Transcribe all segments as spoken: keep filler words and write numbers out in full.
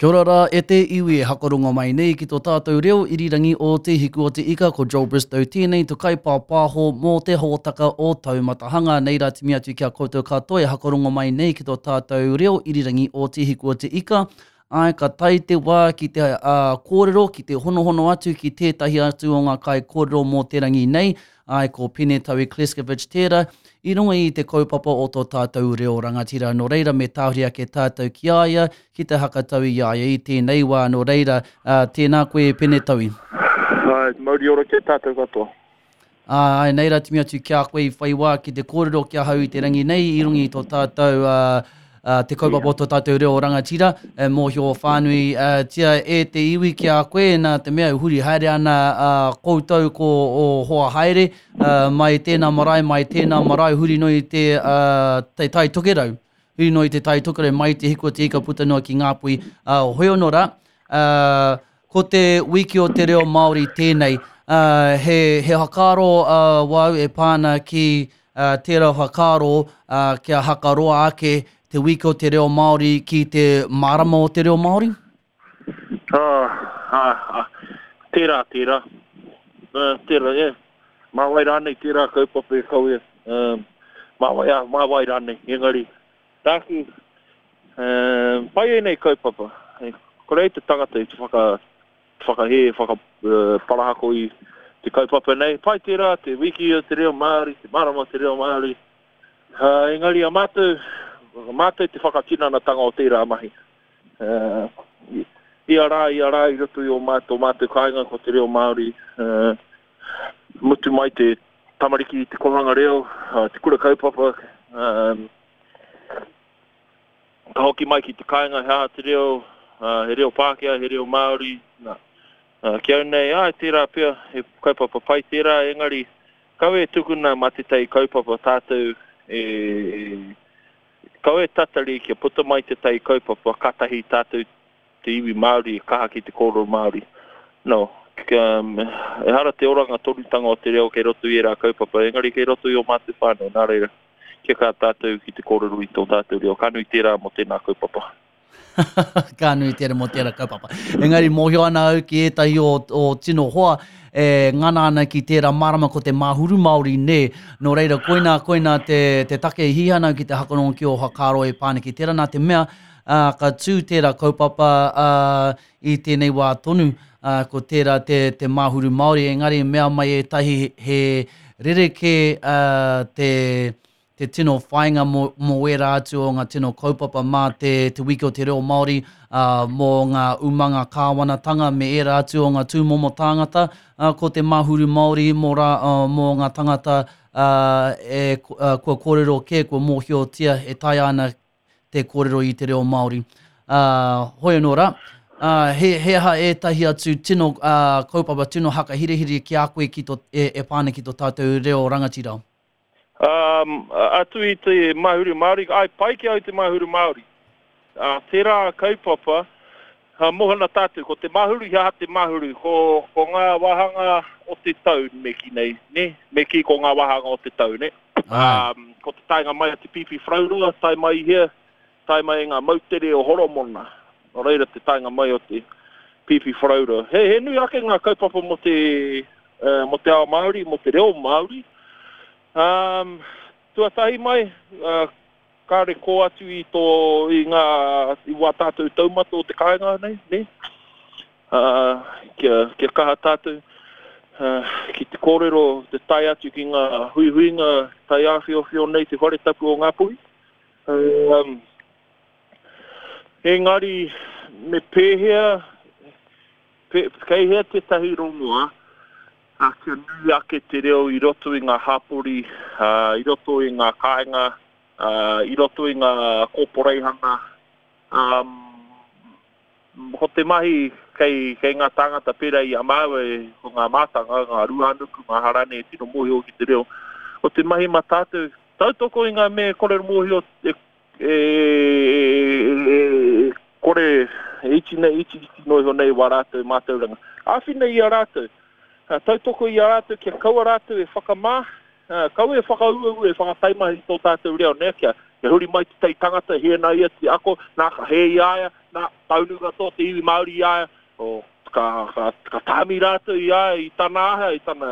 Kia ora rā e te iwi e hakarongo mai nei ki tō tātou reo irirangi o Te Hiku o Te Ika, ko Joel Bristow tēnei, to kaipāpāho mō te hōtaka o Taumatahanga. Nei rā timi atu ki a koutou katoa e hakarongo mai nei ki tō tātou reo irirangi o Te Hiku o Te Ika. Ai, ka tae te wā ki te uh, kōrero, ki te honohono atu ki tētahi atu o ngā kai kōrero mō te rangi nei. Ai, ko Pene Taui Kleskovic tērā, i runga i te kaupapa o tō tātou reo rangatira. Nō reira, me tāhuri ake tātou ki a ia, ki te hakatau i a ia i tēnei wā. Nō reira, uh, tēnā koe Pene Taui. Ai, mauri ora ki tātou katoa. Ai, nei rā timi atu ki a koe i whai wā ki te kōrero ki ahau i te rangi nei, i runga i tō tātou uh, Uh, te kaupapa o tō tātou reo rangatira, e mōhio whānui uh, tia e te iwi ki a koe, nā te mea huri haere ana uh, koutou ko o hoa haere, uh, mai tēnā marae, mai tēnā marae, huri noi te, uh, te tai tokerau, huri noi te tai tokerau, mai te hiku o te ika puta noa ki Ngāpuhi. Uh, hoi ono rā, uh, ko te wiki o te reo Māori tēnei, uh, he, he whakaaro uh, wau e pāna ki uh, tērā whakaaro uh, kia hakaroa ake te wiki o te reo Māori ki te marama o te reo Māori? Ah, ah, ah, tērā, tērā. Uh, tērā, yeah. Mā wai rānei tērā kaupapa e kawe. Uh, mā wai, ah, mā wai rānei, engari. Tāku, uh, pai e nei kaupapa. E, kore te tangata i te whaka, whakahē, whaka, uh, parahako i te kaupapa nei. Pai tērā, te wiki o te reo Māori, te marama o te reo Māori. Uh, engari a mātou, mātou te whakatinanatanga o tērā mahi. Uh, ia rā, ia rā i roto i o mātou, mātou kāinga ko te reo Māori. Uh, mutu mai te tamariki i te kohanga reo, uh, te kura kaupapa. Um, ka hoki mai ki te kāinga he aha te reo, uh, he reo Pākehā, he reo Māori. Nā. Uh, ki au nei, ai, tērā pea, he kaupapa pai tērā, engari kawe e tukuna mā tētahi kaupapa tātou e, kawe tatari kia puta mai te tai kaupapa, katahi tātou te iwi Māori, kaha ki te kōrero Māori. No, um, ehara te oranga tonutanga o te reo kei roto i ērā kaupapa, engari kei roto i o mātou whānau, nā reira, kia kā tātou ki te kōrero i tō tātou reo. Ka nui tērā mō tēnā kaupapa. Ka nui tērā mō tērā kaupapa. Engari mōhio ana au ki ētahi o, o tino hoa e ngana ana ki tērā marama ko te Mahuru Māori nē. Nō reira, koinā, koinā te, te take i hihana ki te hakarongo ki o whakaaro e pāne ki tērā nā te mea, uh, ka tū tērā kaupapa uh, i tēnei wā tonu, uh, ko tērā te, te Mahuru Māori. Engari mea mai ētahi he rerekē uh, te te tino whainga mō, mō ērā atu o ngā tino kaupapa mā te, te wiki o te reo Māori, uh, mō ngā umanga kāwanatanga me ērā atu o ngā tūmomo tāngata, uh, ko te Mahuru Māori mō, rā, uh, mō ngā tangata uh, e, uh, kua kōrero kē, kua mōhiotia e taea ana te kōrero i te reo Māori. Uh, hoi anō rā, uh, he, he aha ētahi atu tino uh, kaupapa, tino hakahirihiri ki a koe ki tō, e, e pāne ki tō tātou reo rangatira? Um, atu i te Mahuru Māori, ai pai ki au te Mahuru Māori. Uh, tērā kaupapa, uh, mohana tātou, ko te Mahuru, he aha te Mahuru, ko, ko ngā wāhanga o te tau me ki nei, ne? Me ki ko ngā wāhanga o te tau, ne? Um, ko te taenga mai a te Pipiwharauroa, tae mai hea, tae mai ngā moutere o Horomona. Nō reira te taenga mai o te Pipiwharauroa. He, he nui ake ngā kaupapa mō te, uh, mō te ao Māori, mō te reo Māori. Um, tuatahi mai, uh, kāre kō atu i tō, i ngā, i wā tātou taumata o te kāinga nei, ne? Uh, kia, kia kaha tātou uh, ki te kōrero, te tae atu ki ngā huihuinga tai āwhiowhio nei te whare tapu o Ngāpuhi. Um, engari, me pēhea, pe, kei hea tētahi rongoa, a kia nui ake te reo i roto i ngā hapori, uh, i roto i ngā kāinga, uh, i roto i ngā kōporeihana. Um, ko te mahi kei, kei ngā tāngata pērā i a māua, ko ngā mātanga, ngā ruānuku, ngā harane e tino mōhio ki te reo. Ko te mahi mā tātou, tautoko i ngā mea kore mōhio e, e, e, e, kore e iti nei, iti iti noa iho nei wā rātou mātauranga. Āwhina i a rātou. Tautoko i a rātou kia kaua rātou e whakamā, kaua e whakauaua e whakataimahi i tō tātou reo, ne? Kia, kia huri mai te tei tangata, he nā ia te ako, nā ka he i aia, nā, taunu katoa te iwi Māori i a ia, o, ka, ka, ka tāmi rātou i a ia, i tana aha, i tana,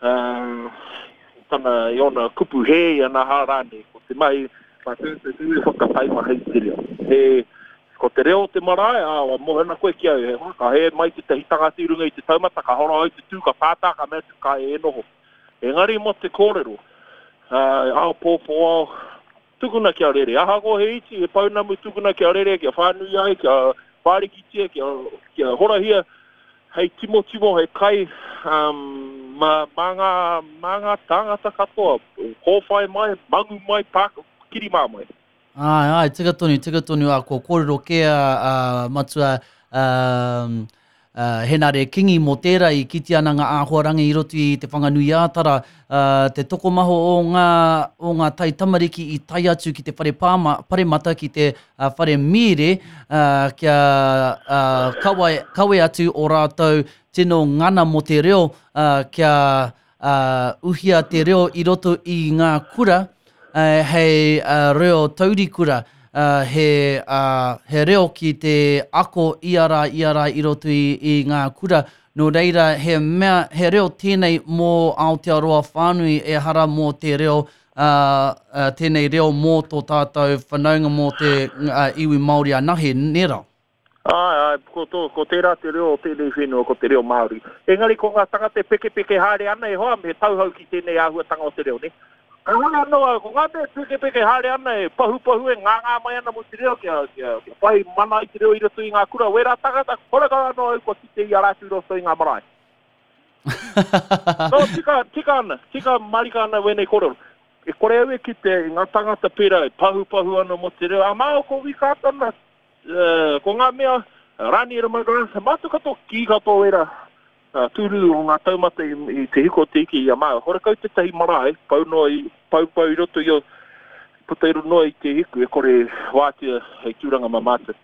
uh, i tana, i ona kupu hē, i ana hā rānei. Ko te mahi, mā tū te tū e whakataimaha i te reo. He, ko te reo o te marae, ā, wa mōhena koe ki au, he hoa, ka hē mai te tahi tangata i runga i te taumata, ka hora au te tū, ka pātā, ka mea atu, ka e noho. Engari mō te kōrero, uh, ao pōpō ao, tukuna kia rere. Ahakoa he iti, he pounamu tukuna kia rere, kia whānui ai, kia whārikitia, kia, kia horahia, hei timotimo, hei kai, um, mā, mā, ngā, mā ngā tāngata katoa, kōwhai mai, mangu mai, pāka, kirimā mai. Ai, ai, tika tonu, tika tonu, a ko kōrero kē a, a matua um, uh, Henare Kingi mō tērā i kite ana ngā āhuarangi i roto i te Whanganui-ā-Tara, uh, te tokomaho o ngā, o ngā tai tamariki i tae atu ki te whare pāma, paremata, ki te uh, whare mīre, uh, kia uh, kawe, kawe atu o rātou tino ngana mō te reo, uh, kia uh, uhia te reo i roto i ngā kura, uh, hei uh, reo taurikura, uh, he, uh, he reo ki te ako ia rā, ia rā i roto i, i ngā kura. Nō reira, he mea, he reo tēnei mō Aotearoa whānui, e hara mō te reo, uh, uh, tēnei reo mō tō tātou whanaunga mō te uh, iwi Māori anahe, nera? Ai, ai, ko, tō, ko tērā te reo o tēnei whenua, ko te reo Māori. Engari ko ngā tangata pekepeke haere ana e hoa, me tauhau ki tēnei āhuatanga o te reo, ne? Ka hore anō au, ko ngā mea pekepeke haere ana e pahupahu e ngāngā mai ana mō te reo, kia, kia, kia whai mana i te reo i roto i ngā kura. Wērā tangata, horekau anō au kua kite i a rātou i roto i ngā marae. No, tika, tika ana, tika marika ana wēnei kōrero. E kore au e kite i ngā tangata pērā e pahupahu ana mō te reo. A māo ko Wikatana, uh, ko ngā mea, Raniera McGrath, mātou katoa, kī katoa wērā, uh, tūru o ngā taumata i, i te hiko te iki i a māo. Horekau tētahi marae, pau noa i, pau pau i roto i o, puta i roto noa i te hiku, e kore wātea hei tūranga mā mātou.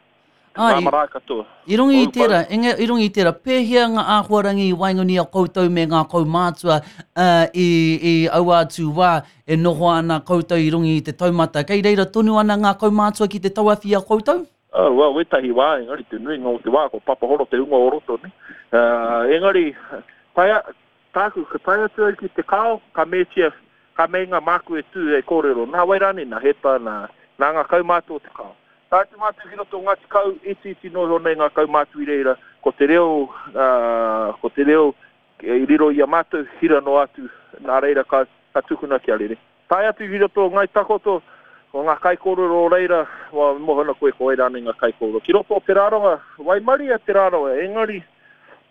Ah, Ngā i- marae katoa. I runga i Pau, tērā, inga, i runga i tērā, pēhea ngā āhuarangi i waenganui a koutou me ngā kaumātua uh, i, i aua atu wā e noho ana koutou i runga i te taumata. Kei reira tonu ana ngā kaumātua ki te tauawhi a koutou? Oh, well, wētahi wā, engari te nuinga o te wā, ko Papahoro te hunga o roto, ne? Uh, engari, tae, tāku, ka tae atu au ki te kao, ka mētia, ka meinga māku e tū e kōrero. Nā wai rānei, nā Heta, nā, nā ngā kaumātua o te kao. Tae atu mātou ki roto o Ngāti Kau, iti iti noa iho nei ngā kaumātua i reira, ko te reo, uh, ko te reo i riro i a mātou, hira noa atu, nā reira ka, ka tukuna kia rere. Tae atu ki roto o Ngai Takoto, ko ngā kaikōrero o reira, wa mohona koe ko wai rānei ngā kaikōrero. Ki roto o Te Rarawa, waimaria Te Rarawa, engari,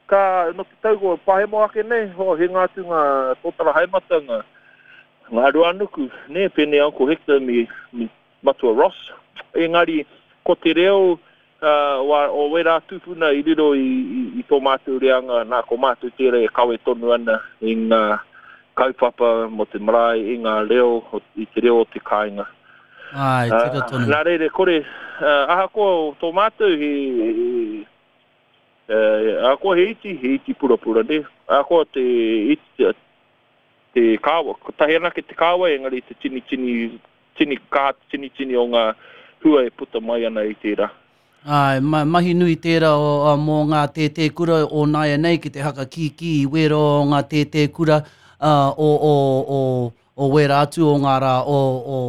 ka, no te tau ko pahemo ake nei, ho, hinga atu ngā tōtara haemata, ngā, ngā ruanuku, ne, pēnei Uncle Hector me, me Matua Ross. Engari, ko te reo uh, wa, o wērā tūpuna i riro i, i, i tō mātou reanga, nā ko mātou tērā e kawe tonu ana i ngā kaupapa mō te marae, i ngā reo, i te reo o te kāinga. Ai, tika tonu. Uh, nā reira, kore, uh, ahakoa o tō mātou, he, he, uh, ahakoa he iti, he iti purapura, ne? Ahakoa te iti, te kāwa, kotahi anake te kāwa, engari te tini, tini, tini kā, tini, tini o ngā hua e puta mai ana i tērā. Ai, ma, mahi nui tērā o, o, mō ngā tētē kura o nāia nei ki te haka kīkī i wēra o ngā tētē kura uh, o, o, o, o wēra atu o ngā rā o, o,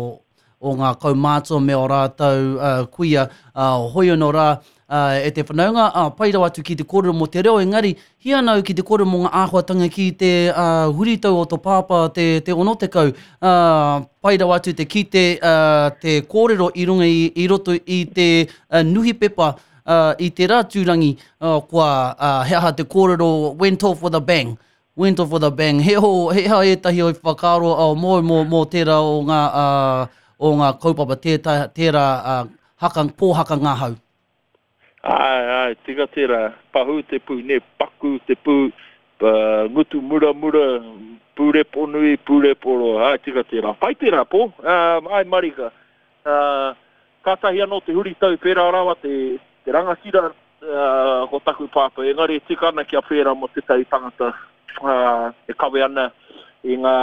o ngā kaumātua me o rātou uh, kuia uh, hoi anō rā uh, e te whanaunga, uh, pai rawa atu ki te kōrero mō te reo, engari hi ana au ki te kōrero mō ngā āhuatanga ki te uh, huritau o tō pāpā te, te onotekau, uh, pai rawa atu te kite uh, te kōrero i runga i, i roto i te uh, nuhipepa uh, i te rā tūrangi, uh, kua uh, he aha te kōrero went off with a bang. Went off with a bang. He ho, he ha ētahi o i whakaaro o mō, mō, mō tērā o ngā, uh, o ngā kaupapa tērā, tērā uh, haka, pōhaka ngā hau. Ai, ai, tika tērā, pahū te pū, ne, paku te pū, uh, ngutu muramura, pūrepo nui, pūrepo roa, ai, tika tērā. Pai tērā, pō, um, ai, marika. Uh, kātahi anō te huritau pērā rawa te, te rangatira uh, ko taku pāpā, engari tika ana kia pērā mō tētahi tangata uh, e kawe ana i ngā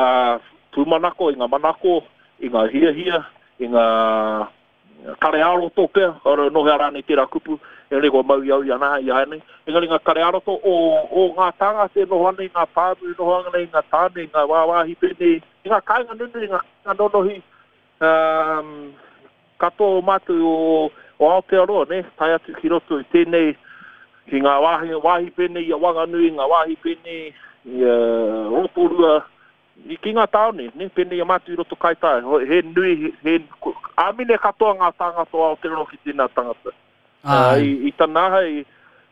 pūmanako, i ngā manako, i ngā hiahia, i ngā kare āroto pea, ora nohea rānei tērā kupu, Engari kua mau i au i ana i āianei. Engari ngā kare ā-roto o, o ngā tāngata e noho ana i ngā pāmu, e noho ana i ngā tāne, i ngā wāwāhi pēnei, i ngā kāinga nunui, i ngā kāinga nonohi, um, katoa o mātou o, o Aotearoa, ne, tae atu ki roto i tēnei, ki ngā wāhi, wāhi pēnei i a Wanganui, ngā wāhi pēnei i a Rotorua, i ki ngā tāone, ne, pēnei i a mātou i roto Kaitaia. He nui, he, he, āmine katoa ngā tāngata o Aotearoa ki tēnā tangata. Uh, i, i tana aha, i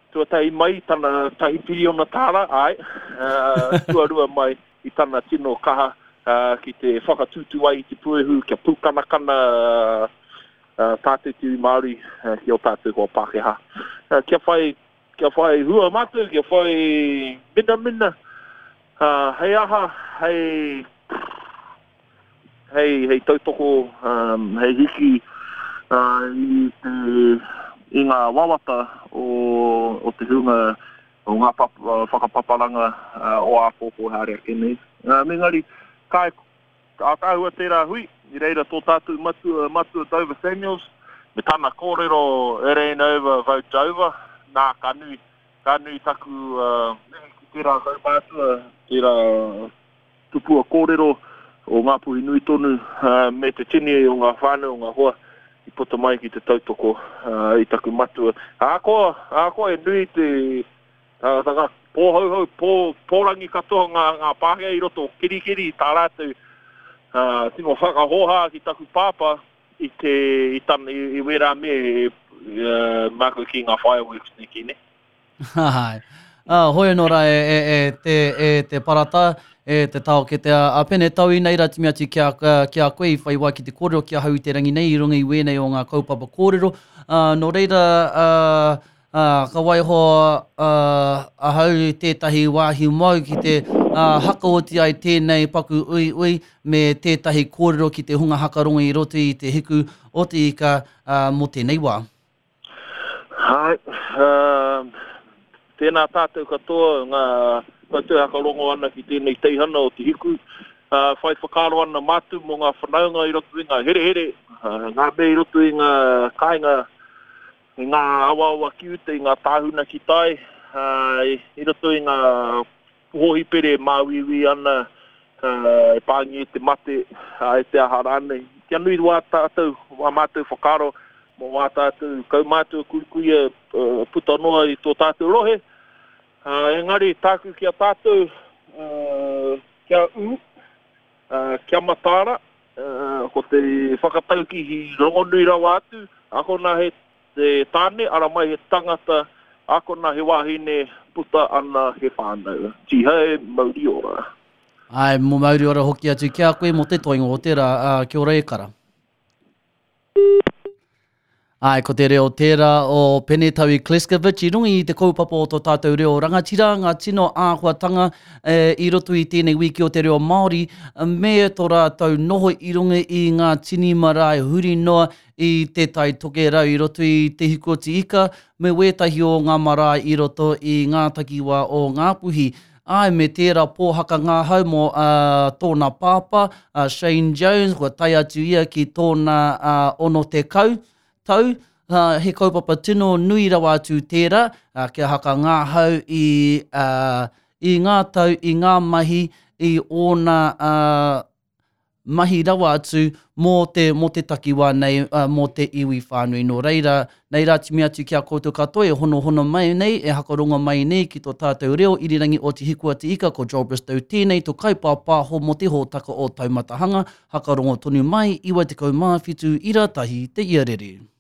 tuatahi mai i tana tahi piriona tāra, ai, uh, tuarua mai i tana tino kaha uh, ki te whakatūtū ai i te puehu, kia pūkanakana uh, uh, tātou te iwi Māori uh, ki o tātou hoa Pākehā. Uh, kia whai, kia whai hua mātou, kia whai minamina, uh, hei aha, hei, hei, hei tautoko, um, hei hiki uh, i te i ngā wawata o, o te hunga o ngā pap, whakapaparanga uh, o āpōpō haere ake nei. Uh, engari, ka ātaahua tērā hui, i reira tō tātou matua, matua Dover Samuels, me tana kōrero it ain't over, vote over, nā, ka nui, ka nui taku uh, mihi ki tērā kaumātua, tērā tupua kōrero o Ngāpuhi nui tonu, uh, me te tini o ngā whānau, o ngā hoa, i puta mai ki te tautoko uh, i taku matua. Ahakoa, ahakoa e nui te uh, ngā pōhauhau, pō, pōrangi katoa ngā, ngā Pākehā i roto o Kerikeri, tā rātou uh, tino whakahōhā ki taku pāpā i te i, tan, i, i wērā me uh, mākou ki ngā fireworks ne ki ne. Hai. Uh, hoi anō rā e, e, e, te, e te parata, e te taokete a, a Pene Tau i nei rā timi atu ki a, ki a koe i whai wā ki te kōrero ki ahau i te rangi nei i runga i wēnei o ngā kaupapa kōrero. Uh, nō reira, uh, uh, ka waiho uh, ahau i tētahi wāhi mau ki te uh, hakaoti ai tēnei paku ui ui me tētahi kōrero ki te hunga hakarongo i roto i te hiku o te ika uh, mō tēnei wā. Hai, uh, tēnā tātou katoa, ngā koutou hakarongo ana ki tēnei teihana o te hiku, uh, whai whakaaro ana mātou mō ngā whanaunga i roto i ngā herehere, uh, ngā mea i roto i ngā kāinga, i ngā awaawa ki uta, i ngā tāhuna ki tai, uh, i, i roto i ngā hōhipere māuiui ana, uh, e pāngi e te mate, uh, e te aha rānei. Kia nui wā tātou, wā mātou whakaaro, mō wā tātou kaumātua kuikuia uh, puta noa i tō tātou rohe. Uh, engari tāku ki a tātou, uh, kia ū, uh, kia mataara, uh, ko te whakatauki hi rongonui rawa atu, akona he te tāne, ara mai he tangata, akona he wahine, puta ana he whānau. Tihei, mauri ora. Ai, mō mauri ora hoki atu ki a koe mō te toinga o te rā, uh, kia ora e kara. Ai, ko te reo tērā o Penetaui Kleskovic i runga i te kaupapa o tō tātou reo rangatira, ngā tino āhuatanga e, i roto i tēnei wiki o te reo Māori, me tō rātou noho i runga i ngā tini marae huri noa i te Tai Tokerau i roto i te Hiku o te Ika, me wētahi o ngā marae i roto i ngā takiwā o Ngāpuhi. Ai, me tērā pōhaka ngāhau mō uh, tōna pāpā, uh, Shane Jones, kua tae atu ia ki tōna uh, ono tekau tau, uh, he kaupapa tino nui rawa atu tērā, uh, kia haka ngāhau i, uh, i ngā tau, i ngā mahi, i ōna uh, mahi rawa atu mō te, mō te takiwā nei, uh, mō te iwi whānui. Nō reira, nei rā timi atu ki a koutou katoa e honohono mai nei, e hakarongo mai nei ki tō tātou reo irirangi o Te Hiku a Te Ika, ko Joel Bristow tēnei, tō kaipāpāho mō te hōtaka o Taumatahanga, hakarongo tonu mai, iwa tekau mā whitu ira tahi te iarere.